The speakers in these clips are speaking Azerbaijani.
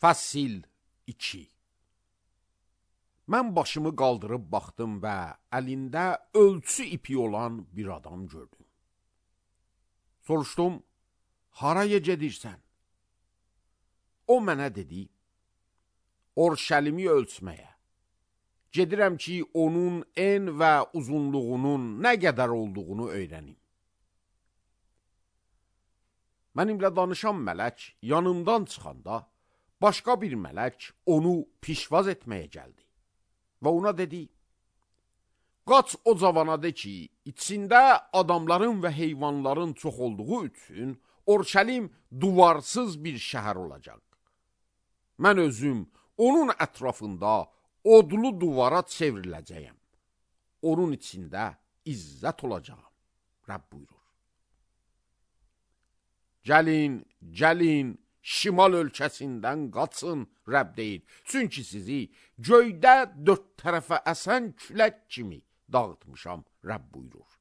Fəsil 2. Mən başımı qaldırıb baxdım və əlində ölçü ipi olan bir adam gördüm. Soruşdum, haraya gedirsən? O mənə dedi, Orşəlimi ölçməyə. Gedirəm ki, onun en və uzunluğunun nə qədər olduğunu öyrənim. Mənimlə danışan mələk yanımdan çıxanda, başqa bir mələk onu pişvaz etməyə gəldi və ona dedi, qaç o cavana de ki, içində adamların və heyvanların çox olduğu üçün Orşəlim duvarsız bir şəhər olacaq. Mən özüm onun ətrafında odlu duvara çevriləcəyəm. Onun içində izzət olacağım. Rəbb buyurur. Gəlin, şimal ölkəsindən qaçın, Rəbb deyir. Çünki sizi göydə dörd tərəfə əsən külək kimi dağıtmışam, Rəbb buyurur.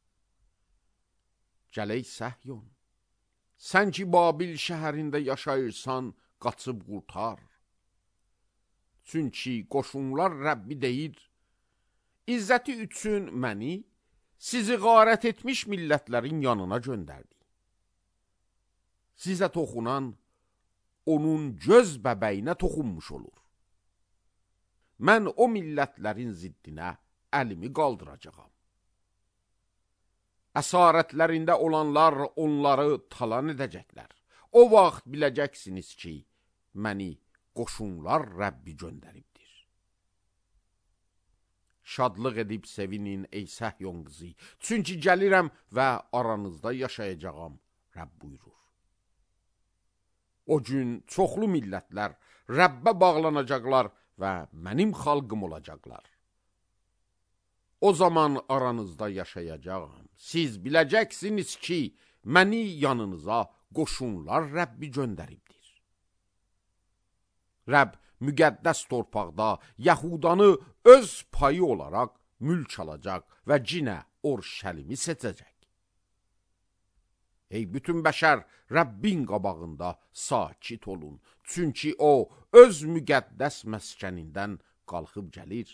Gələk Səhyon, sən ki Babil şəhərində yaşayırsan, qaçıb qurtar. Çünki qoşunlar Rəbbi deyir, İzzəti üçün məni sizi qarət etmiş millətlərin yanına göndərdi. Sizə toxunan, onun göz bəbəyinə toxunmuş olur. Mən o millətlərin ziddinə əlimi qaldıracağam. Əsarətlərində olanlar onları talan edəcəklər. O vaxt biləcəksiniz ki, məni qoşunlar Rəbbi göndəribdir. Şadlıq edib sevinin ey Səhyon qızı, çünki gəlirəm və aranızda yaşayacağam, Rəbb buyurur. O gün çoxlu millətlər Rəbbə bağlanacaqlar və mənim xalqım olacaqlar. O zaman aranızda yaşayacağam. Siz biləcəksiniz ki, məni yanınıza qoşunlar Rəbbi göndəribdir. Rəbb müqəddəs torpaqda Yahudanı öz payı olaraq mülk alacaq və cinə Orşəlimi seçəcək. Ey bütün bəşər, Rəbbin qabağında sakit olun. Çünki o öz müqəddəs məskənindən qalxıb gəlir.